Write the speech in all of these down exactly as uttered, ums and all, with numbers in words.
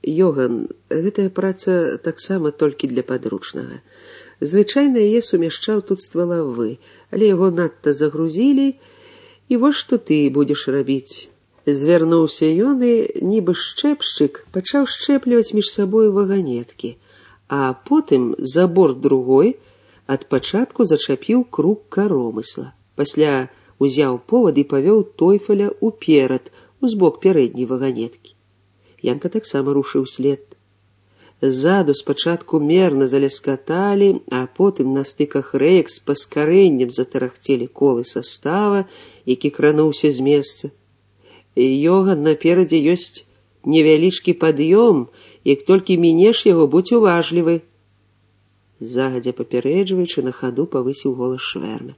Йоган, гэтая праца таксама толькі для падручнага. Звычайна яе сумяшчаў тут ствалавы, але яго надта загрузілі, і вось што ты будзеш рабіць. Звярнуўся ён і, нібы шчэпшчык, пачаў шчэпліваць між сабою ваганеткі, а потым за борт другой ад пачатку зачапіў круг каромысла. Пасля узяў повад і павёў Тойфеля уперад, узбок пярэдняй ваганеткі. Янка таксама рушыў след. Ззаду спачатку мерна заляскаталі, а потым на стыках рэек з паскарэннем затарахцелі колы састава, які крануўся з месца. Йоган, наперадзе ёсць невялічкі пад'ём, як толькі мінеш яго, будзь уважлівы. Загадзя папярэджваючы, на хаду павысіў голас Швэрна.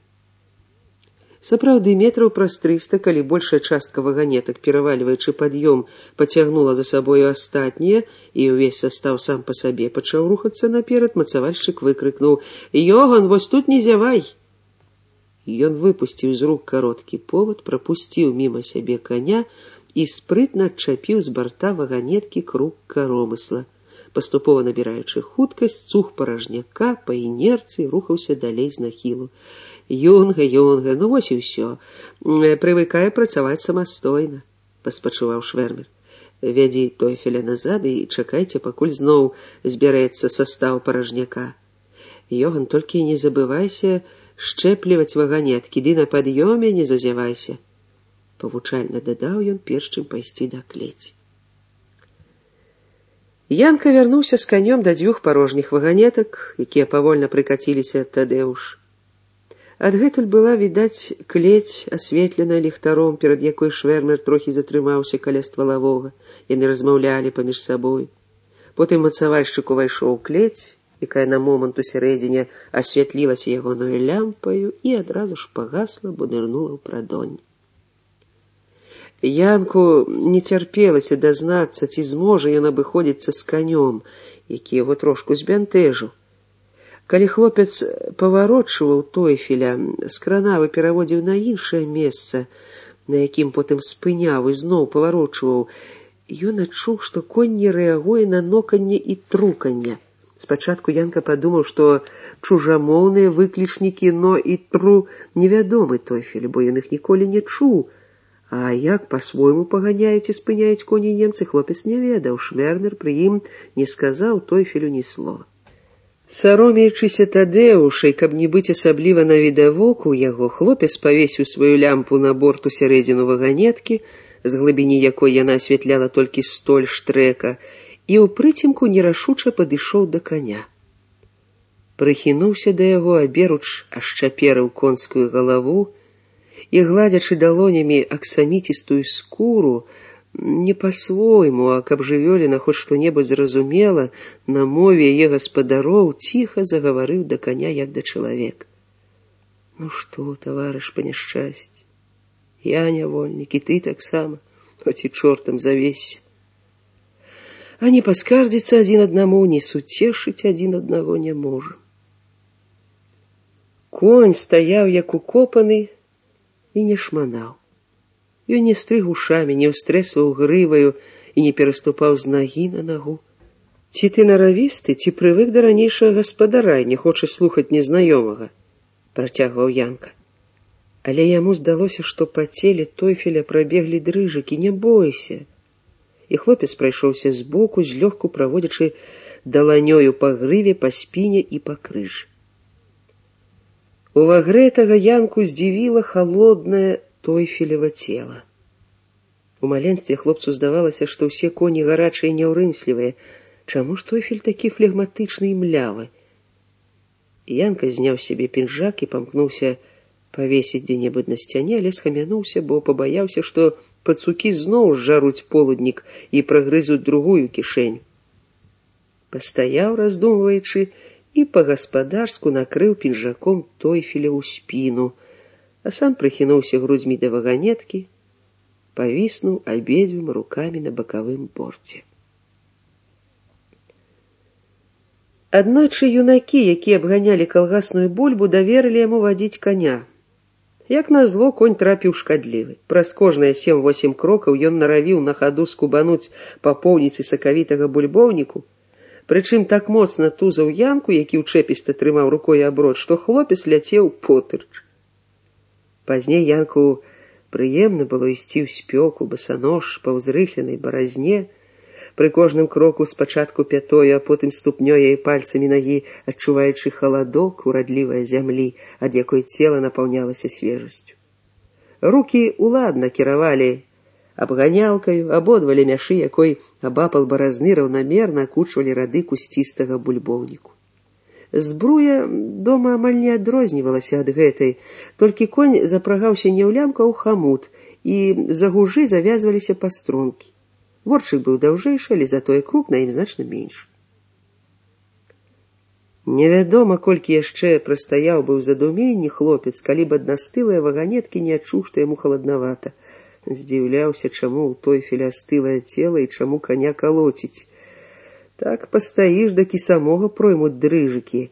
Сапраўды, метраў праз трыста, калі большая частка ваганетак, перавальваючы пад'ём, пацягнула за сабою астатнія, і ўвесь састаў сам па сабе пачаў рухацца наперад, мацавальшчык выкрыкнуў: «Йоган, вось тут не зявай!» Ён выпусціў з рук кароткі повад, прапусціў міма сябе коня і спрытна адчапіў з барта ваганеткі круг каромысла. Паступова набіраючы хуткасць, цуг паражняка па інерцыі рухаўся далей з нахілу. «Юнга, Юнга, ну вось і ўсё. Прывыкае працаваць самастойна», — паспачуваў Швэрмер. «Вядзі Тойфеля назад і чакайце, пакуль зноў збярэцца састаў паражняка. Йоган, толькі не забывайся шчэпліваць ваганеткі, ды на пад'ёме не зазявайся», — павучальна дадаў ён, перш чым пайсці да клеці. Янка вярнуўся з канём да дзвюх парожніх ваганетак, якія павольна прыкаціліся ад Тадэуш. Адгэтуль была відаць клець, асветленая ліхтаром, перад якой Швэрмер трохі затрымаўся каля ствалавога. Яны размаўлялі паміж сабой. Потым мацавальшчык увайшоў у клець, якая на момант у сярэдзіне асвятлілася ягонаю лямпаю і адразу ж пагасла, бо нырнула ў прадонь. Янку не цярпелася дазнацца, ці зможа ён абыходзіцца з канём, які яго трошку збянтэжыў. Калі хлопец паварочваў Тойфеля, з кранавы пераводзіў на іншае месца, на якім потым спыняў і зноў паварочваў, ён адчуў, што конь не рэагуе на ноканне і труканне. Спачатку Янка падумаў, што чужамоўныя выклічнікі «но» і «тру» невядомы Тойфелю, бо ён іх ніколі не чуў. А як па-свойму паганяюць і спыняюць коні немцы, хлопец не ведаў. Швэрмер пры ім не сказаў Тойфелю ні слова. Саромеючыся Тадэушай, каб не быць асабліва навідавоку яго, хлопец павесіў сваю лямпу на борт у сярэдзіну ваганеткі, з глыбіні якой яна асвятляла толькі столь штрэка, і ў прыцемку нерашуча падышоў да каня. Прыхінуўся да яго, аберуч ашчаперыў конскую галаву і, гладзячы далонямі аксаміцістую скуру, не па-свойму, а каб жывёліна хоць што-небудзь зразумела, на мове яе гаспадароў ціха загаварыў да каня, як да чалавека. «Ну што, таварыш па няшчасці, я нявольнік, і ты таксама, хоць і чортам завесся. А не паскардзіцца адзін аднаму, не суцешыць адзін аднаго не можа». Конь стаяў, як укопаны, і не шманаў. Ён не стрыг ушамі, не ўстрэсваў грываю і не пераступаў з нагі на нагу. «Ці ты наравісты, ці прывык да ранейшага гаспадара і не хочаш слухаць незнаёмага?» — працягваў Янка. Але яму здалося, што па целе Тойфеля прабеглі дрыжыкі. «Не бойся!» І хлопец прайшоўся збоку, злёгку праводзячы даланёю па грыве, па спіне і па крыжы. Увагрэтага Янку здзівіла халоднае Тойфелева цела. У маленстве хлопцу здавалася, што ўсе коні гарачыя і няўрымслівыя. Чаму ж Тойфель такі флегматычны і млявы? Янка зняў сябе пінжак і памкнуўся павесіць дзе-небудзь на сцяне, але схамянуўся, бо пабаяўся, што пацукі зноў зжаруць полуднік і прагрызуць другую кішэнь. Пастаяў, раздумваючы, і па-гаспадарску накрыў пінжаком Тойфеля ў спіну, а сам прыхінуўся грудзьмі да ваганеткі, павіснуў абедзвюма рукамі на бакавым борце. Аднойчы юнакі, якія абганялі калгасную бульбу, даверылі яму вадзіць каня. Як назло, конь трапіў шкадлівы. Праз кожныя сем-восем крокаў ён наравіў на хаду скубануць па поўніцы сакавітага бульбоўніку, прычым так моцна тузаў Янку, які ўчэпіста трымаў рукой аброд, што хлопец ляцеў потырч. Пазней Янку прыемна было ісці ў спёку, басанож, па ўзрыхленай баразне, пры кожным кроку спачатку пятою, а потым ступнёй і пальцамі нагі, адчуваючы халадок урадлівай зямлі, ад якой цела напаўнялася свежасцю. Рукі уладна кіравалі абганялкаю, абодва лемяшы, якой абапал баразны раўнамерна акучвалі рады кусцістага бульбоўніку. Збруя дома амаль не адрознівалася ад гэтай, толькі конь запрагаўся не ў лямку, а ў хамут, і за гужы завязваліся пастрункі. Ворчык быў даўжэйшы, але затое крук на ім значна менш. Невядома, колькі яшчэ прастаяў быў задуменні хлопец, калі б аднастылыя ваганеткі не адчуў, што яму халаднавата. Здзіўляўся, чаму ў той філястылае цела і чаму каня калоціць. Так пастаіш, дак і самога проймуць дрыжыкі.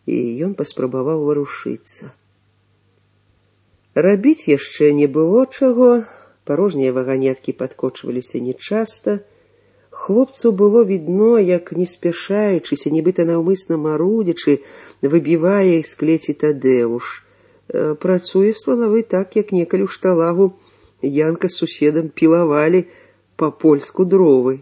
І ён паспрабаваў варушыцца. Рабіць яшчэ не было чаго. Парожнія ваганеткі падкочваліся нечаста. Хлопцу было відно, як, не спяшаючыся, нібыта наўмысна марудзячы, выбівае з клеці Тадэуш. Працуе ствалавы так, як некалі ў шталагу Янка з суседам пілавалі па-польску дровы.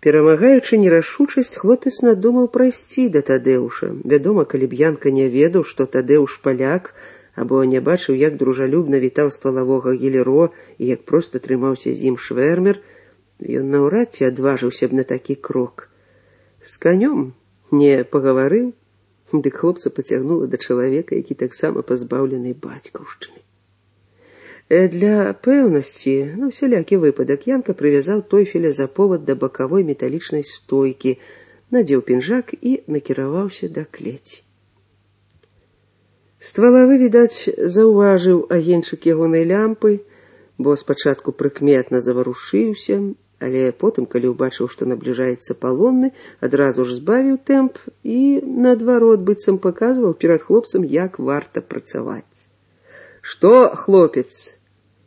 Перамагаючы нерашучасць, хлопец надумаў прайсці да Тадэуша. Вядома, калі б Янка не ведаў, што Тадэуш паляк, або не бачыў, як дружалюбна вітаў ствалавога Гілеро і як проста трымаўся з ім швэрмер, ён наўрад ці адважыўся б на такі крок. З канём не пагаварыў, дык хлопца пацягнула да чалавека, які таксама пазбаўлены бацькаўшчыны. Для пэўнасці, на усялякі выпадак, Янка прывязаў тойфеля за повад да бакавой металічнай стойкі, надзеў пінжак і накіраваўся да клеці. Ствалавы, відаць, заўважыў агеньчык ягонай лямпы, бо спачатку прыкметна заварушыўся, але потым, калі ўбачыў, што набліжаецца палонны, адразу ж збавіў тэмп і, наадварот, быццам паказваў перад хлопцам, як варта працаваць. «Што, хлопец?»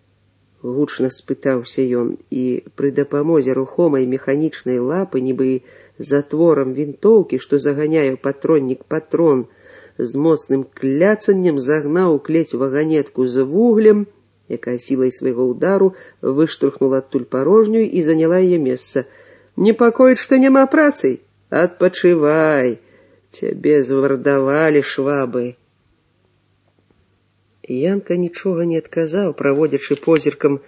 — гучна спытаўся ён, і пры дапамозе рухомай механічнай лапы, нібы затворам вінтоўкі, што заганяе ў патроннік патрон, з моцным кляцаннем загнаў у клець ваганетку з вуглем, якая сілай свайго ўдару выштурхнула адтуль парожнюю і заняла яе месца. «Непакоіць, што няма працы? Адпачывай! Цябе звардавалі швабы!» Янка нічога не адказаў, праводзячы позіркам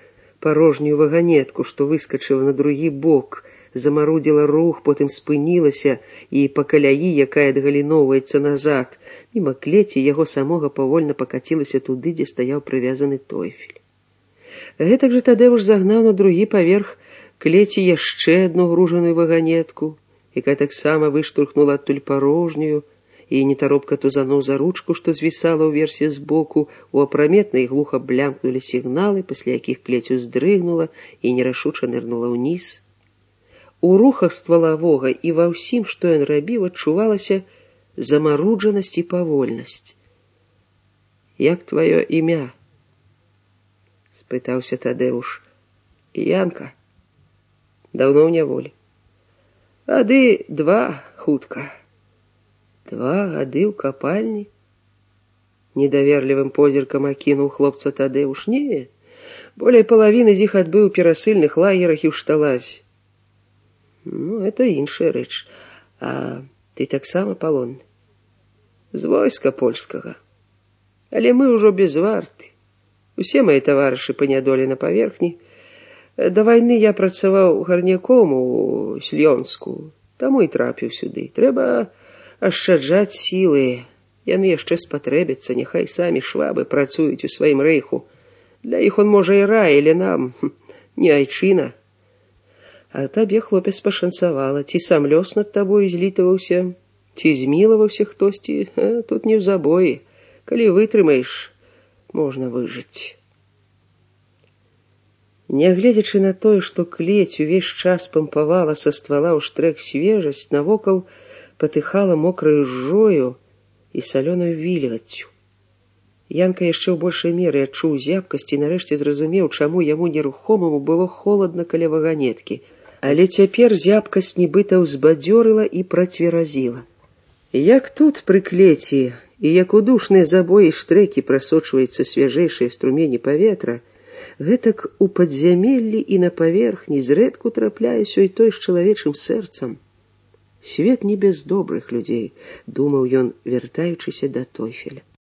парожнюю ваганетку, што выскачыла на другі бок, замарудзіла рух, потым спынілася і па каляі, якая адгаліноўваецца назад, міма клеці яго самога павольна пакацілася туды, дзе стаяў прывязаны тойфель. Гэтак жа Тадэуш загнаў на другі паверх клеці яшчэ адну гружаную ваганетку, якая таксама выштурхнула адтуль парожнюю, і нетаропка тузануў за ручку, што звісала ўверсе збоку, у апраметна і глуха блямкнулі сігналы, пасля якіх клець уздрыгнула і нерашуча нырнула ўніз. У рухах ствалавога і ва ўсім, што ён рабіў, адчувалася замаруджанасць і павольнасць. «Як тваё імя?» — спытаўся Тадэуш. «Янка. Даўно ў няволі». «Гады два хутка». «Два гады ў капальні?» — недаверлівым позіркам акінуў хлопца Тадэуш. «Не, болей палавіны з іх адбыў у перасыльных лагерах і ў шталазі». «Ну, это іншая рэч. А ты таксама палонны?» «З войска польскага. Але мы ўжо без варты. Усе мае таварышы панядолі на паверхні. Да вайны я працаваў гарняком у Слёнску, таму і трапіў сюды. Трэба ашчаджаць сілы. Яны яшчэ спатрэбяцца, няхай самі швабы працуюць у сваім рэйху. Для іх он можа і рай, але нам не айчына. А табе, хлопец, пашанцавала. Ці сам лёс над табой злітаваўся, ці змілаваўся хтосьці, а тут не ў забоі. Калі вытрымаеш, можна выжыць». Нягледзячы на тое, што клець увесь час пампавала са ствала ў штрэх свежасць, навокал патыхала мокраю жжою і салёнаю вільгаццю. Янка яшчэ ў большай меры адчуў зябкасць і нарэшце зразумеў, чаму яму нерухомаму было холадна каля ваганеткі. Але цяпер зябкасць нібыта ўзбадзёрыла і працверазіла. Як тут пры клеці, і як у душныя забоі штрэкі прасочваецца свяжэйшае струмені паветра, гэтак у падзямеллі і на паверхні зрэдку трапляе сёй той з чалавечым сэрцам. Свет не без добрых людзей, думаў ён, вяртаючыся да Тойфеля.